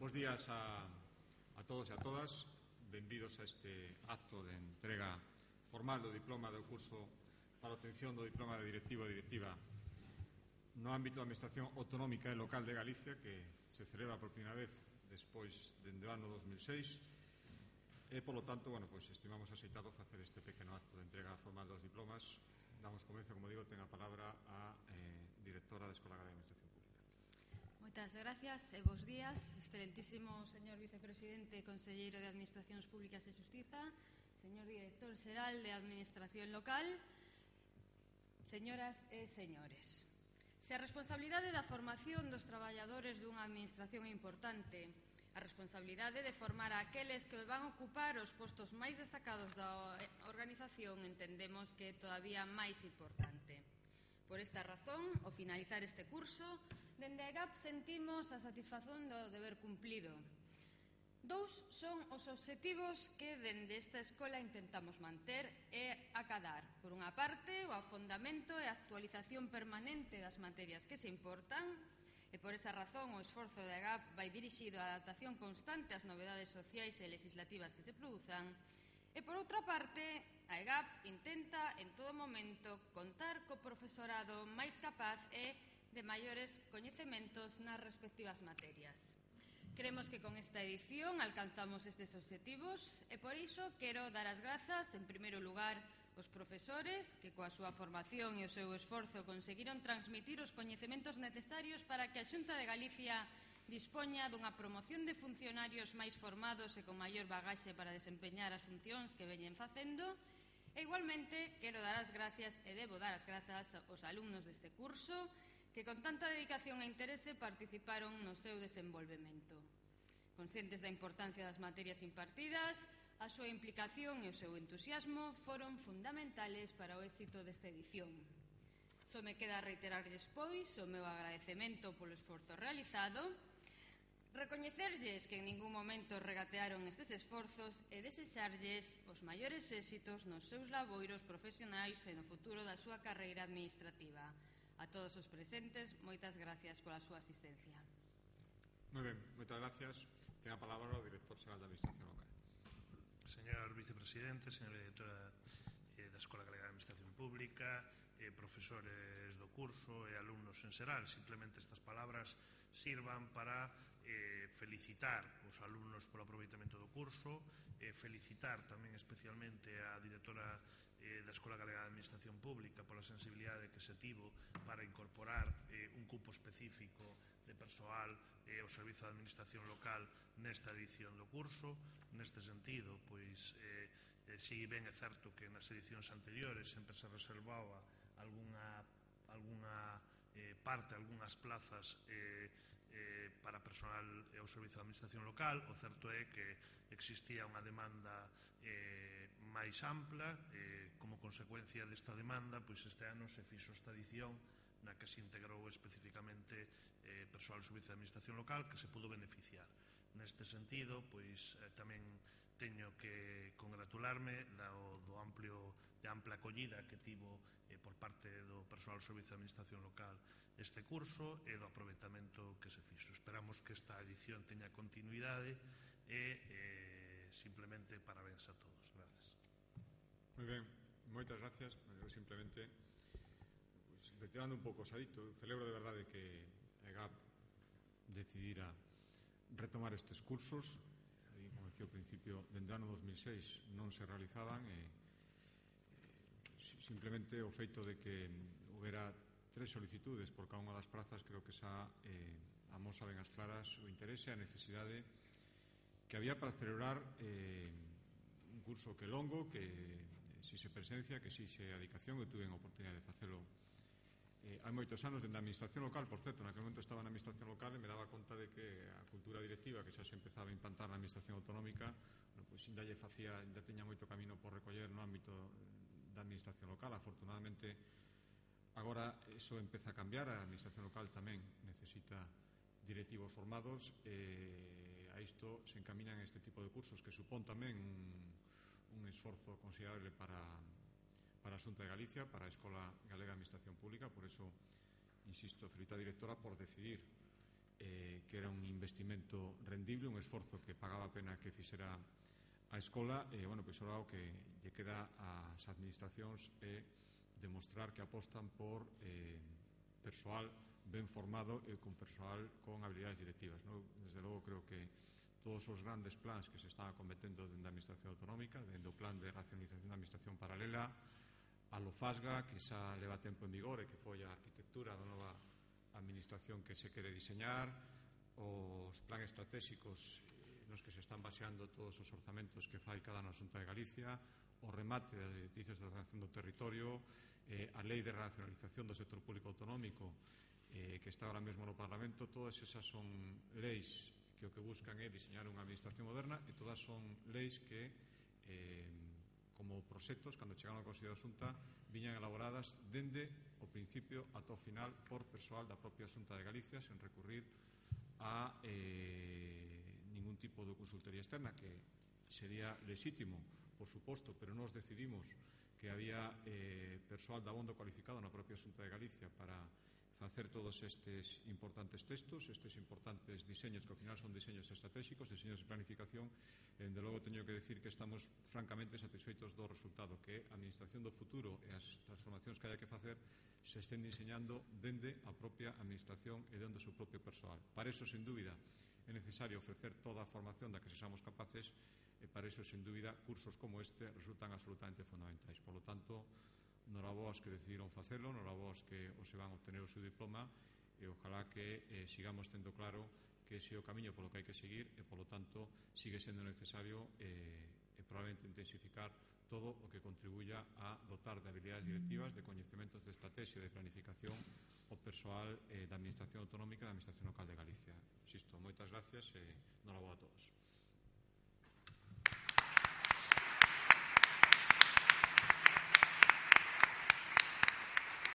Bos días a todos e a todas. Benvidos a este acto de entrega formal do diploma do curso para a obtención do diploma de directivo e directiva no ámbito da Administración Autonómica e Local de Galicia, que se celebra por primeira vez despois dende o ano 2006 e, polo tanto, estimamos aceitado facer este pequeno acto de entrega formal dos diplomas. Damos comezo, como digo, ten a palabra a directora da Escola Galega de Administración Pública. Moitas gracias e bos días, excelentísimo señor vicepresidente e conselleiro de Administracións Públicas e Xustiza, señor director xeral de Administración Local, señoras e señores. Se a responsabilidade da formación dos traballadores dunha administración é importante, a responsabilidade de formar a aqueles que van ocupar os postos máis destacados da organización entendemos que é todavía máis importante. Por esta razón, ao finalizar este curso, dende a EGAP sentimos a satisfazón do deber cumplido. Dous son os obxectivos que dende esta escola intentamos manter e acadar. Por unha parte, o afondamento e a actualización permanente das materias que se importan, e por esa razón o esforzo da EGAP vai dirixido á adaptación constante ás novedades sociais e legislativas que se produzan. E, por outra parte, a EGAP intenta, en todo momento, contar co profesorado máis capaz e de maiores coñecementos nas respectivas materias. Creemos que con esta edición alcanzamos estes obxectivos e, por iso, quero dar as grazas, en primeiro lugar, aos profesores que, coa súa formación e o seu esforzo, conseguiron transmitir os coñecementos necesarios para que a Xunta de Galicia dispoña dunha promoción de funcionarios máis formados e con maior bagaxe para desempeñar as funcións que veñen facendo. E, igualmente, quero dar as gracias e debo dar as grazas aos alumnos deste curso que con tanta dedicación e interese participaron no seu desenvolvemento. Conscientes da importancia das materias impartidas, a súa implicación e o seu entusiasmo foron fundamentales para o éxito desta edición. Só me queda reiterarlles, pois, o meu agradecemento polo esforzo realizado, recoñecerlles que en ningún momento regatearon estes esforzos e desexarlles os maiores éxitos nos seus laboiros profesionais e no futuro da súa carreira administrativa. A todos os presentes, moitas gracias pola súa asistencia. Moi ben, moitas gracias. Ten a palabra o director xeral da Administración Local. Señor vicepresidente, señora directora da Escola Galega de Administración Pública, profesores do curso e alumnos en xeral, simplemente estas palabras sirvan para felicitar os alumnos polo aproveitamento do curso, felicitar tamén especialmente a directora da Escola Galega de Administración Pública pola sensibilidade que se tivo para incorporar un cupo específico de persoal ao Servizo de Administración Local nesta edición do curso. Neste sentido, pois, si ben é certo que nas edicións anteriores sempre se reservaba algunha parte, algunhas plazas para personal ao Servizo de Administración Local, o certo é que existía unha demanda máis ampla. Como consecuencia desta demanda, pois este ano se fixo esta edición na que se integrou especificamente persoal do Servizo de Administración Local que se pudo beneficiar. Neste sentido, pois tamén teño que congratularme da ampla acollida que tivo por parte do persoal do Servizo de Administración Local este curso e do aproveitamento que se fixo. Esperamos que esta edición teña continuidade e simplemente parabéns a todos. Gracias. Moi ben, moitas gracias. Eu simplemente, retirando un pouco o sadito, celebro de verdade que a EGAP decidira retomar estes cursos. Como decía ao principio, dende o ano 2006 non se realizaban e simplemente o feito de que houbera 3 solicitudes por cada unha das prazas creo que xa amosa ben as claras o interese e a necesidade que había para celebrar un curso que longo, que si se presencia, que si se dedicación. Eu tuve a oportunidade de facelo hai moitos anos dende a Administración Local. Por certo, naquele momento estaba na Administración Local e me daba conta de que a cultura directiva que xa se empezaba a implantar na Administración Autonómica pois ainda teña moito camino por recoller no ámbito da Administración Local. Afortunadamente agora iso empeza a cambiar. A Administración Local tamén necesita directivos formados e a isto se encaminan este tipo de cursos que supón tamén un esforzo considerable para a Xunta de Galicia, para a Escola Galega de Administración Pública. Por eso, insisto, felicito a directora por decidir que era un investimento rendible esforzo que pagaba a pena que fixera a escola, e, bueno, pois ora o que lle queda ás administracións é demostrar que apostan por persoal ben formado e con persoal con habilidades directivas, non? Desde logo creo que todos os grandes plans que se están acometendo dentro da Administración Autonómica, dentro do plan de racionalización da Administración Paralela, a LOFASGA, que xa leva tempo en vigor e que foi a arquitectura da nova administración que se quere diseñar, os planes estratégicos nos que se están baseando todos os orzamentos que fai cada ano a Xunta de Galicia, o remate das directrices de ordenación do territorio, a lei de racionalización do sector público autonómico que está ahora mesmo no Parlamento. Todas esas son leis que o que buscan é diseñar unha administración moderna, e todas son leis que como proxectos, cando chegaron ao Consello da Xunta, viñan elaboradas dende o principio ata o final por persoal da propia Xunta de Galicia, sen recurrir a ningún tipo de consultoría externa, que sería lexítimo, por suposto, pero nós decidimos que había persoal de abondo cualificado na propia Xunta de Galicia para facer todos estes importantes textos, estes importantes diseños, que ao final son diseños estratégicos, diseños de planificación, e, dende logo, teño que decir que estamos francamente satisfeitos do resultado, que a administración do futuro e as transformacións que haya que facer se estén diseñando dende a propia administración e dende o seu propio persoal. Para eso, sen dúbida, é necesario ofrecer toda a formación da que sexamos capaces, e para eso, sen dúbida, cursos como este resultan absolutamente fundamentais. Por lo tanto, norabos que decidiron facelo, norabos que os se van a obtener o seu diploma, e ojalá que sigamos tendo claro que ese é o camiño polo que hai que seguir, e polo tanto sigue sendo necesario probablemente intensificar todo o que contribuya a dotar de habilidades directivas, de coñecementos de estrategia e de planificación o persoal da Administración Autonómica e da Administración Local de Galicia. Insisto, moitas gracias e